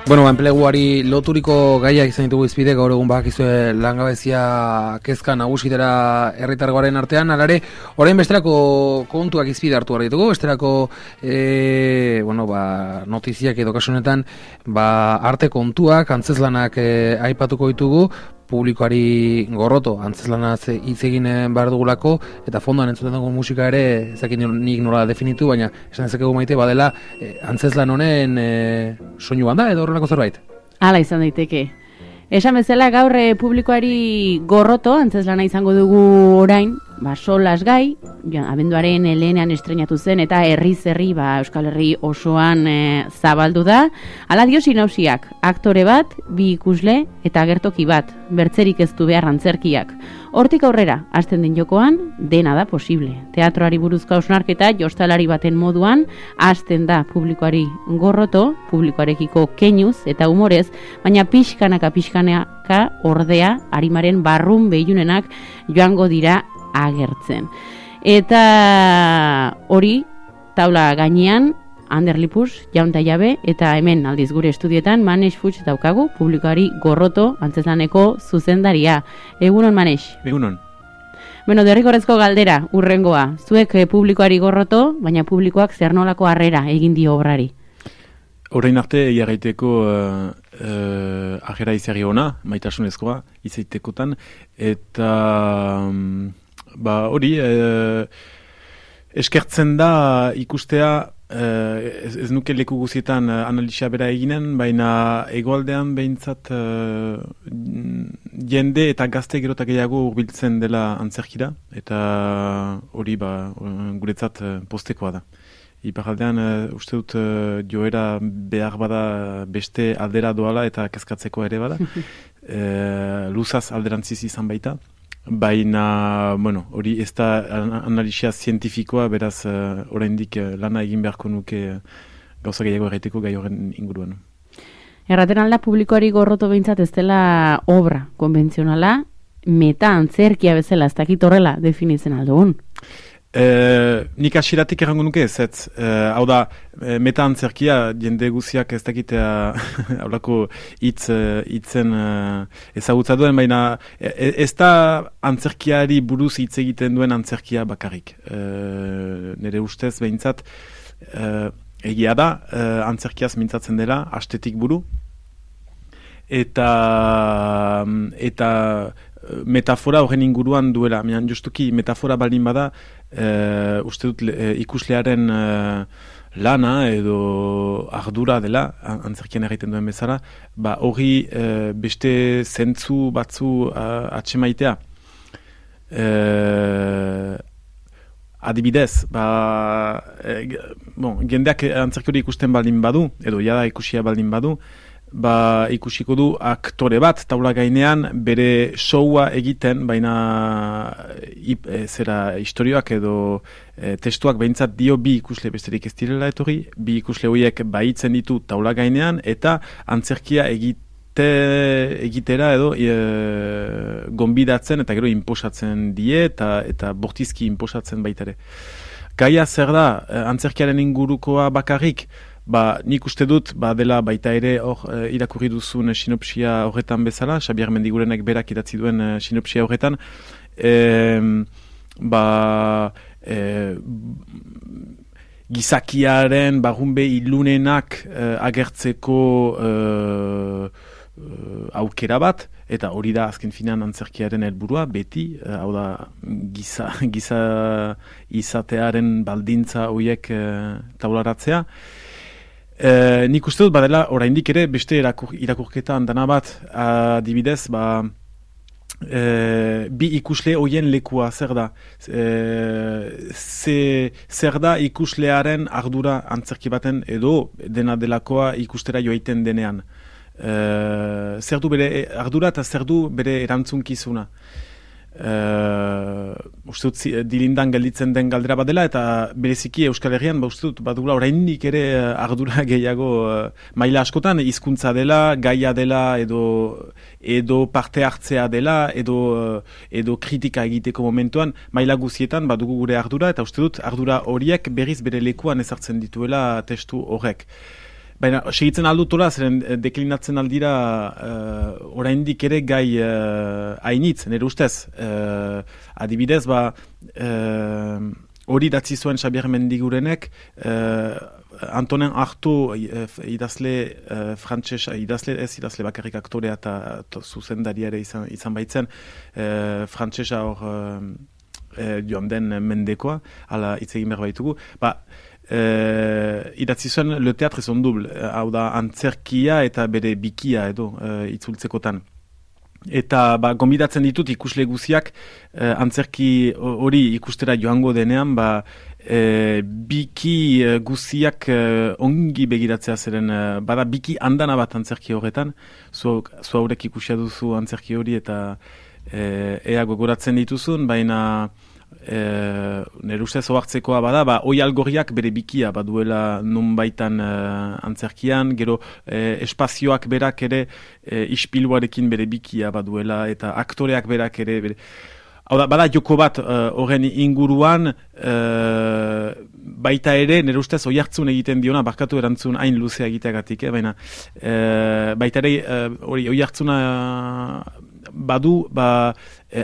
Bueno, enpleguari loturiko gaiak izan ditugu izpide, gaur egun bakizue langabezia kezka nagusitera herritargoaren artean, alare, orain besterako kontuak izpide hartu behar ditugu, besterako notiziak edo kasunetan arte kontuak, antzezlanak aipatuko ditugu, publikoari gorroto, antzeslanaz hitz egin behar dugulako, eta fondoan entzuten dugu musika ere, ezakin nik nola definitu, baina esan ezakegu Maite, badela antzeslan honen soinu banda edo horrelako zerbait? Hala izan daiteke. Esan bezala gaur publikoari gorroto, antzeslana izango dugu orain, solas gai, abenduaren lehenean estrenatu zen, eta herriz herri, Euskal Herri osoan zabaldu da. Hala dio sinopsiak, aktore bat, bi ikusle, eta gertoki bat, bertzerik ez du behar antzerkiak. Hortik aurrera, hasten den jokoan, dena da posible. Teatroari buruzko hausnarketa jostalari baten moduan, hasten da publikoari gorroto, publikoarekiko keinuz eta humorez, baina pixkanaka ordea, arimaren barrun behiunenak joango dira agertzen. Eta hori, taula gainean, Ander Lipus, Jaun ta Jabe, eta hemen aldiz gure estudioetan Manex Fuchs daukagu, publikoari gorroto antzeslaneko zuzendaria. Egunon, Manex? Egunon. Bueno, derrigorrezko galdera, urrengoa. Zuek publikoari gorroto, baina publikoak zer nolako harrera egin dio obrari? Horrein arte, jarraiteko ajera izari ona, maitasunezkoa, izaitekotan, eta hori, eskertzen da ikustea, ez nuke leku guzietan analisia bera eginen, baina hegoaldean behintzat jende eta gazte gero eta gehiago hurbiltzen dela antzerkira, eta hori guretzat postekoa da. Iparaldean uste dut joera behar bada beste aldera doala eta kezkatzeko ere bada. Luzaz alderantziz izan baita. Baina, hori ez da analisia zientifikoa, beraz oraindik lana egin beharko nuke gauza gehiago erraiteko gai horren inguruan. Erraten alda publikoari gorroto behintzat ez dela obra konbentzionala, meta antzerkia bezala, ez dakit horrela definitzen aldugun. Nik asiratik errango nuke ez, hau da, meta antzerkia jende guziak ez dakitea haulako hitzen ezagutza duen, baina ez da antzerkiari buruz hitz egiten duen antzerkia bakarrik. Nire ustez behintzat egia da, antzerkiaz mintzatzen dela, astetik buru, eta metafora horren inguruan duela. Justuki metafora baldin bada, uste dut ikuslearen lana edo ardura dela, antzerkian egiten duen bezala, hori beste zentzu batzu atxemaitea. Adibidez, jendeak antzerki hori ikusten baldin badu, edo jada ikusia baldin badu, ikusiko du aktore bat taula gainean bere showa egiten, baina istorioak edo testuak behintzat dio bi ikusle besterik ez direla etorri, bi ikusle horiek baitzen ditu taula gainean eta antzerkia egitera edo gonbidatzen eta gero inposatzen die eta bortizki inposatzen baitare. Gaia zer da, antzerkiaren ingurukoa bakarrik, nik uste dut, dela baita ere irakurri duzun sinopsia horretan bezala, Xabier Mendigurenek berak idatzi duen sinopsia horretan, gizakiaren barrunbe ilunenak agertzeko aukera bat, eta hori da azken finean antzerkiaren helburua, beti, hau da giza izatearen baldintza horiek taularatzea. Nik uste dut badela oraindik ere beste irakurketa handana bat, adibidez, bi ikusle horien lekua zer da? Zer da ikuslearen ardura antzerki baten edo dena delakoa ikustera joaiten denean? Zer du bere ardura eta zer du bere erantzunkizuna? Uste dut dilindan gelditzen den galdera badela eta bereziki Euskal Herrian uste dut badugula oraindik ere ardura gehiago maila askotan hizkuntza dela, gaia dela edo parte hartzea dela edo kritika egiteko momentuan maila guzietan badugu gure ardura eta uste dut ardura horiek berriz bere lekuan ezartzen dituela testu horrek. Baina, segitzen aldutola, zeren deklinatzen aldira oraindik ere gai hainitz, nire ustez. Adibidez, hori datzi zuen Xabier Mendigurenek, Antonin Artaud idazle idazle bakarrik aktorea eta zuzendaria ere izan baitzen, frantsesa hor joan den mendekoa, ala hitz egin behar baitugu, idatzi zuen Le Théâtre son double, hau da antzerkia eta bere bikia edo itzultzekotan. Eta gonbidatzen ditut ikusle guziak antzerki hori ikustera joango denean, biki guziak ongi begiratzea zeren, bada biki andana bat antzerki horretan, zu haurek ikusia duzu antzerki hori eta ea gogoratzen dituzun, baina nire ustez ohartzekoa bada, oi algorriak bere bikia baduela nun baitan antzerkian, gero espazioak berak ere ispiluarekin bere bikia baduela, eta aktoreak berak ere bere... Hau da, bada joko bat horren inguruan, baita ere, nire ustez oihartzun egiten diona, barkatu erantzun hain luzea egiteagatik, baina baita ere oihartzuna badu,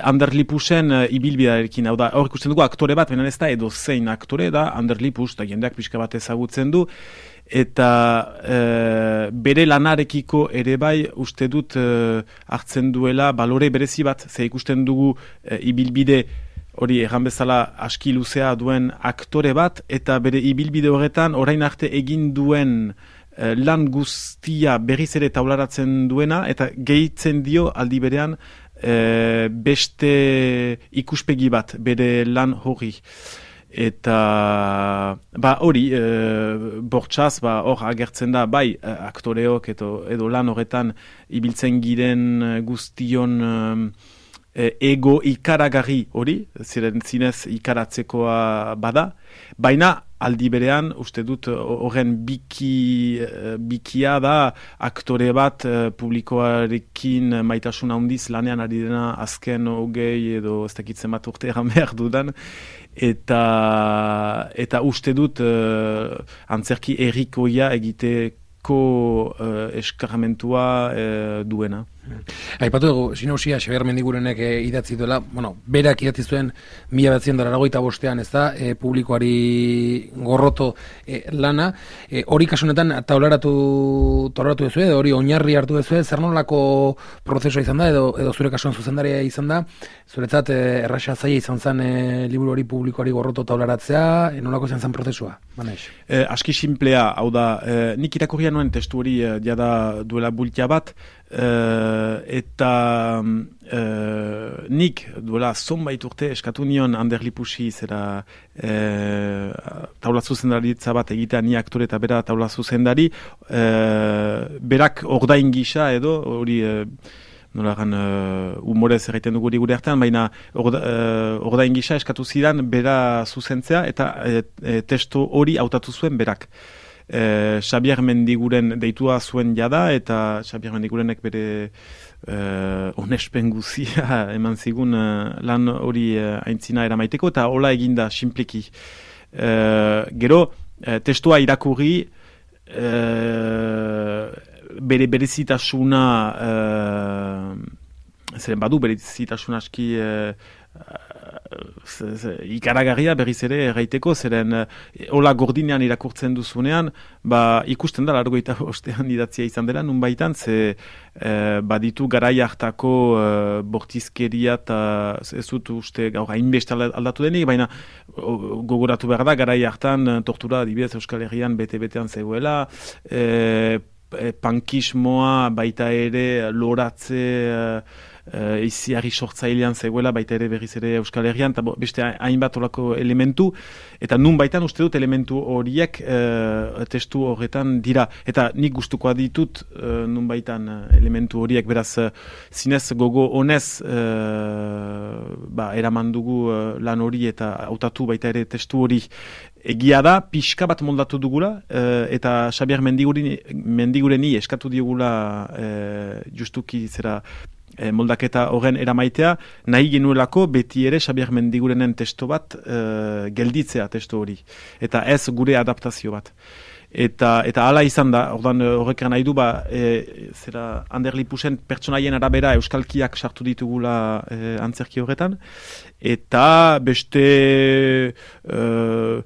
Ander Lipusen ibilbidearekin, hau da, hor ikusten dugu aktore bat, baina ez da edo zein aktore da, Ander Lipus, eta jendeak pixka bat ezagutzen du, eta bere lanarekiko ere bai uste dut hartzen duela balore berezi bat, ze ikusten dugu ibilbide hori erran bezala aski luzea duen aktore bat, eta bere ibilbide horretan orain arte egin duen lan guztia berriz ere taularatzen duena, eta gehitzen dio aldi berean beste ikuspegi bat bere lan hori. Eta hori bortxaz hor agertzen da bai aktoreok edo lan horretan ibiltzen giren guztion ego ikaragarri hori, ziren zinez ikaratzekoa bada, baina aldi berean uste dut horren bikia da aktore bat publikoarekin maitasun handiz lanean ari dena azken 20 edo ez dakitzen bat urte eran behar dudan, eta uste dut antzerki errikoia egiteko eskarmentua duena. Aipatu dugu, sinausia, Xabier Mendigurenek idatzi duela, berak idatzi zuen 1985 ez da, publikoari gorroto lana, hori kasunetan taularatu duzu, edo hori oinarri hartu duzu, zer nolako prozesua izan da, edo zure kasuan zuzendaria izan da, zuretzat erraxa zaila izan zen liburu hori publikoari gorroto taularatzea, nolako izan zen prozesua? Aski simplea, hau da, nik irakurria nuen testu hori jada duela bultia bat, eta nik duela zonbait urte eskatu nion Ander Lipusi zera taula zuzendaritza bat egitea, ni aktore eta bera taula zuzendari, berak ordain gisa edo hori nolagan humorez erraiten dugu gure artean, baina ordain gisa eskatu zidan bera zuzentzea eta testu hori hautatu zuen berak. Xabier Mendiguren deitua zuen jada, eta Xabier Mendigurenek bere onespen guzia eman zigun lan hori aintzina eramaiteko, eta hola eginda simpleki. Gero, testua irakurri, bere berezitasuna, zeren badu berezitasuna aski ikaragarria berriz ere erraiteko, zeren hola gordinean irakurtzen duzunean, ikusten da largoita ostean idatzia izan dela, nun baitan, ze baditu garai hartako bortizkeria eta ez dut uste gaur hainbeste aldatu denik, baina gogoratu behar da, garai hartan tortura adibidez Euskal Herrian bete-betean zegoela, pankismoa baita ere loratze iziarri sortzailean zegoela, baita ere berriz ere Euskal Herrian, eta beste hainbat olako elementu, eta nun baitan uste dut elementu horiek testu horretan dira, eta nik gustukoa ditut nun baitan elementu horiek, beraz zinez gogo honez eraman dugu lan hori eta hautatu baita ere testu hori. Egia da, pixka bat moldatu dugula, eta Xabier Mendigureni eskatu diogula justuki zera moldaketa horren eramaitea, nahi genuelako beti ere Xabier Mendigurenen testo bat gelditzea testo hori, eta ez gure adaptazio bat. Eta hala izan da, ordan horrek nahi du, zera Ander Lipusen pertsonaien arabera euskalkiak sartu ditugula antzerki horretan, eta beste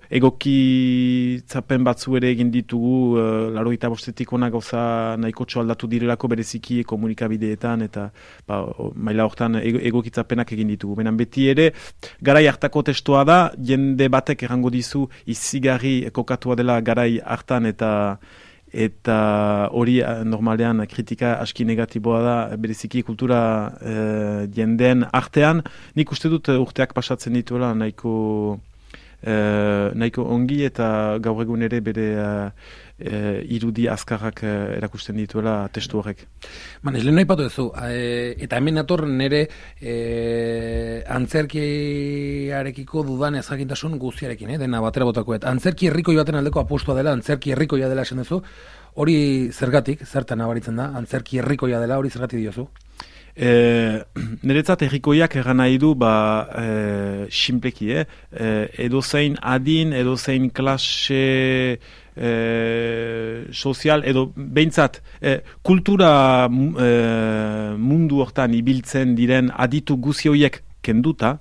egokitzapen batzu ere egin ditugu, 85 ona gauza nahikotxo aldatu direlako bereziki komunikabideetan, eta maila horretan egokitzapenak egin ditugu. Benan beti ere, garai hartako testoa da, jende batek errango dizu izigarri kokatua dela garai hartan, eta hori normalean kritika aski negatiboa da bereziki kultura jendeen artean. Nik uste dut urteak pasatzen dituela nahiko ongi, eta gaur egun ere bere irudi azkarrak erakusten dituela testu horrek. Ez lehen nahi patu duzu, eta hemen nator nire antzerkiarekiko dudan ezakintasun guztiarekin, dena batera botakoet. Antzerki herrikoi baten aldeko apostua dela, antzerki herrikoia dela esan duzu, hori zergatik, zertan nabaritzen da, antzerki herrikoia dela, hori zergatik diozu? Niretzat herrikoiak egan nahi du sinpleki, edozein adin, edozein klase sozial, edo behintzat kultura mundu hortan ibiltzen diren aditu guzi horiek kenduta,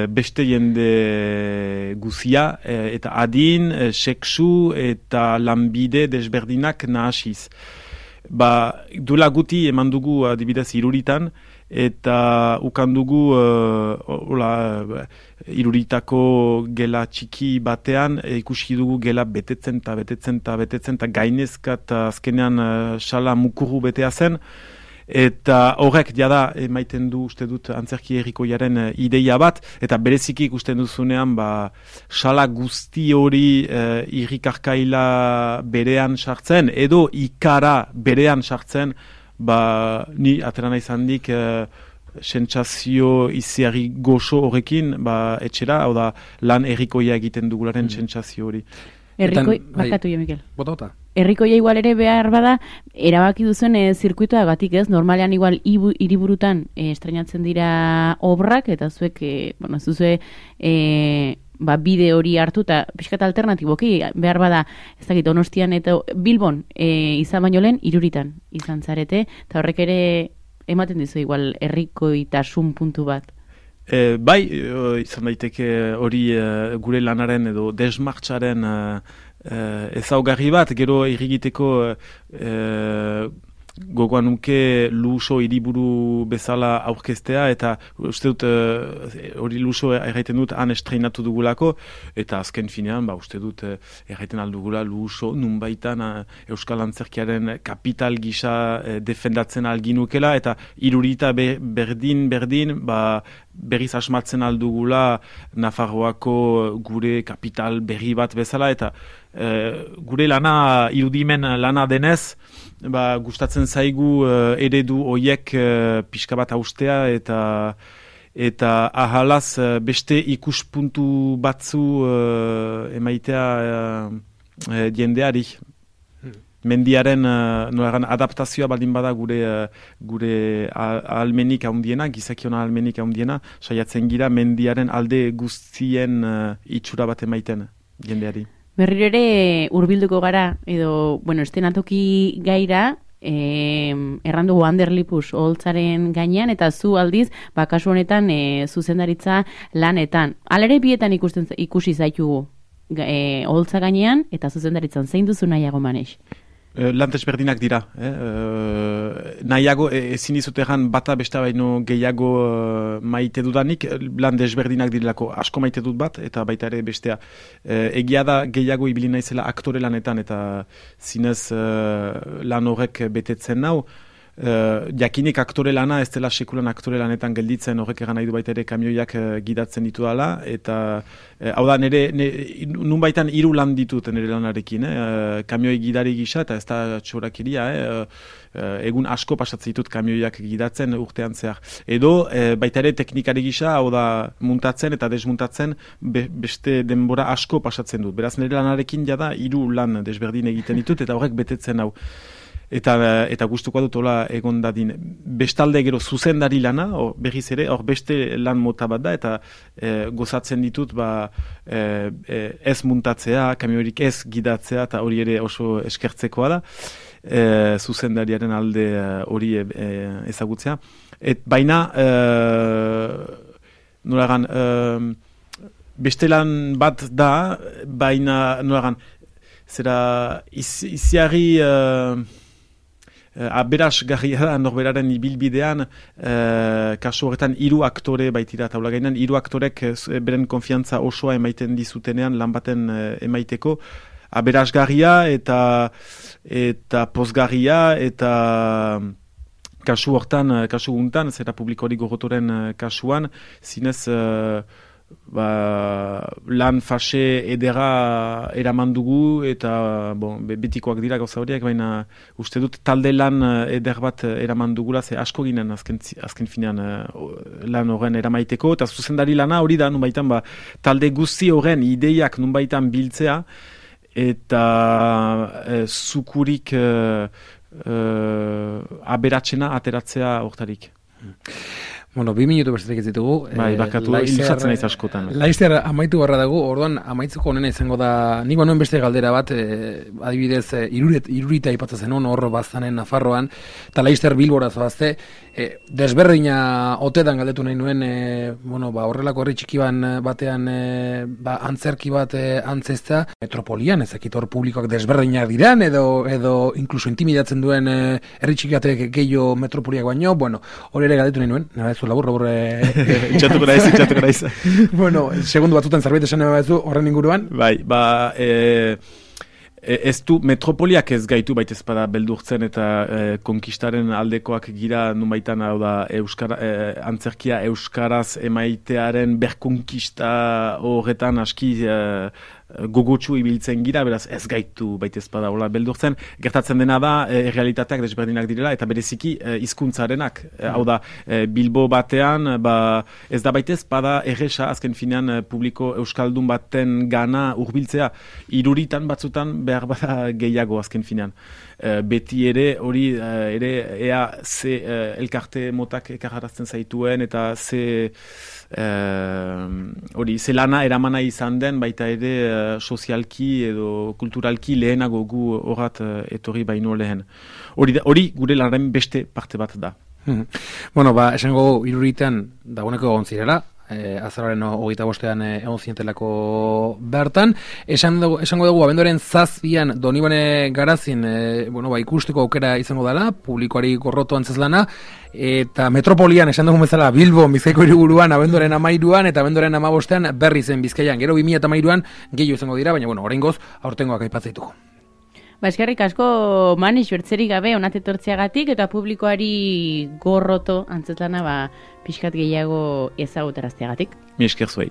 beste jende guzia, eta adin, sexu eta lanbide desberdinak nahasiz. Duela guti eman dugu adibidez Iruritan, eta ukan dugu Iruritako gela txiki batean ikusi dugu gela betetzen eta gainezka eta azkenean sala mukuru betea zen. Eta horrek jada emaiten du uste dut antzerki herrikoiaren ideia bat, eta bereziki ikusten duzunean sala guzti hori irrikarkaila berean sartzen, edo ikara berean sartzen, ni aterana izan dik sentsazio iziarri goxo horrekin etxera, hau da lan herrikoia egiten dugularen sentsazio hori. Herrikoi, bakatu jo, Mikel. Bota. Herrikoia igual ere behar bada, erabaki duzen zirkuitoa gatik ez, normalean igual hiriburutan estrenatzen dira obrak, eta zuek, zuzue bide hori hartu, eta pixkat alternatiboki, behar bada, ez dakit, Donostian eta Bilbon izan baino lehen, Iruritan izan zarete, eta horrek ere ematen dizu igual herrikoitasun puntu bat. Izan daiteke hori gure lanaren edo desmartxaren ezaugarri bat, gero irrigiteko gogoan nuke Luso hiriburu bezala aurkeztea, eta uste dut hori Luso erraiten dut han estreinatu dugulako, eta azken finean uste dut erraiten aldugula Luso nunbaitan Euskal Antzerkiaren kapital gisa defendatzen alginukela, eta Irurita berdin berriz asmatzen aldugula Nafarroako gure kapital berri bat bezala, eta gure lana irudimen lana denez, gustatzen zaigu eredu hoiek pixka bat haustea, eta ahalaz beste ikuspuntu batzu emaitea jendeari. Mendiaren adaptazioa baldin bada gure ahalmenik handiena, gizakiona ahalmenik handiena, saiatzen gira mendiaren alde guztien itxura bat emaiten jendeari. Berriro ere hurbilduko gara, edo, estenatoki gaira, errandugu Ander Lipus oholtzaren gainean, eta zu aldiz, kasu honetan zuzendaritza lanetan. Alere bietan ikusi zaitugu oholtza gainean, eta zuzendaritzan zein duzu nahiago maneix? Lan desberdinak dira. Nahiago, ezin dizut egan bata besta baino gehiago maite dudanik, lan desberdinak direlako asko maite dut bat, eta baita ere bestea. Egia da gehiago ibili naizela aktore lanetan, eta zinez lan horrek betetzen nau. Jakinik aktore lana, ez dela sekulan aktore lanetan gelditzen, horrek egan nahi du baita ere kamioiak gidatzen ditu dala, eta hau da, nun baitan 3 lan ditut nire lanarekin, kamioi gidari gisa, eta ez da txorakeria, egun asko pasatzen ditut kamioiak gidatzen urtean zehar. Edo, baita ere teknikari gisa, hau da, muntatzen eta desmuntatzen beste denbora asko pasatzen dut. Beraz, nire lanarekin jada 3 lan desberdin egiten ditut, eta horrek betetzen hau. Eta gustuko dut hola egon dadin. Bestalde gero zuzendari lana, berriz ere, hor beste lan mota bat da, eta gozatzen ditut ez muntatzea, kamiorik ez gidatzea, eta hori ere oso eskertzekoa da, zuzendariaren alde hori ezagutzea. Baina, nolagan, beste lan bat da, baina, nolagan, zera iziari aberasgarria da norberaren ibilbidean, kasu horretan 3 aktore baitira taula gainean, 3 aktorek beren konfiantza osoa emaiten dizutenean lan baten emaiteko, aberasgarria eta pozgarria eta kasu hortan, kasu guntan, zera publikoari gogotoren kasuan, zinez lan fase edera eraman dugu eta betikoak dira gauza horiek, baina uste dut talde lan eder bat eraman dugula, ze asko ginen azken finean lan horren eramaiteko, eta zuzendari lana hori da, nunbaitan talde guzti horren ideiak nunbaitan biltzea, eta zukurik aberatsena ateratzea hortarik. Bueno, 2 minutu bestetik ez ditugu. Barkatu, ilusatzen naiz askotan. Laizter amaitu barra dago, orduan amaitzeko honena izango da, nik banuen beste galdera bat, adibidez, irurita aipatzen zenuen hor baztanen Nafarroan, eta Laizter Bilbora zoazte, desberdina otedan galdetu nahi nuen, horrelako herri txiki batean antzerki bat antzezta, metropolian, ezakit hor publikoak desberdinak diran, edo inkluso intimidatzen duen herri txiki batek gehiago metropoliak baino, hori ere galdetu nahi nuen, labur. Itxatuko naiz. Bueno, segundu batzutan zerbait esan nahi horren inguruan. Bai, ez du metropoliak ez gaitu baita ezpada beldurtzen eta konkistaren aldekoak gira nunbaitan hau da antzerkia euskaraz emaitearen berkonkista horretan aski gogotsu ibiltzen gira, beraz ez gaitu baita ezpada hola beldurtzen. Gertatzen dena da errealitateak desberdinak direla eta bereziki hizkuntzarenak. Hau da, Bilbo batean ez da baita ezpada erresa azken finean publiko euskaldun baten gana hurbiltzea. Iruritan batzutan behar bada gehiago azken finean. Beti ere hori ea ze elkarte motak ekarrarazten zaituen eta ze lana eramana izan den baita ere sozialki edo kulturalki lehenago gu horat etorri baino lehen. Hori gure lanaren beste parte bat da. Esango iruritan dagoeneko egon zirela, azaroaren 25ean egon zinetelako bertan. Esango dugu abenduaren 7an Donibane Garazin ikusteko aukera izango dela, publikoari gorroto antzezlana, eta metropolian esan dugu bezala Bilbo, Bizkaiko hiriburuan abenduaren 13an eta abenduaren 15ean Berrizen Bizkaian. Gero 2013an gehiago izango dira, baina oraingoz aurtengoak aipatzea. Eskerrik asko Manix bertzerik gabe onat etortzeagatik eta publikoari gorroto antzezlana pixkat gehiago ezagutarazteagatik. Mi esker zuei.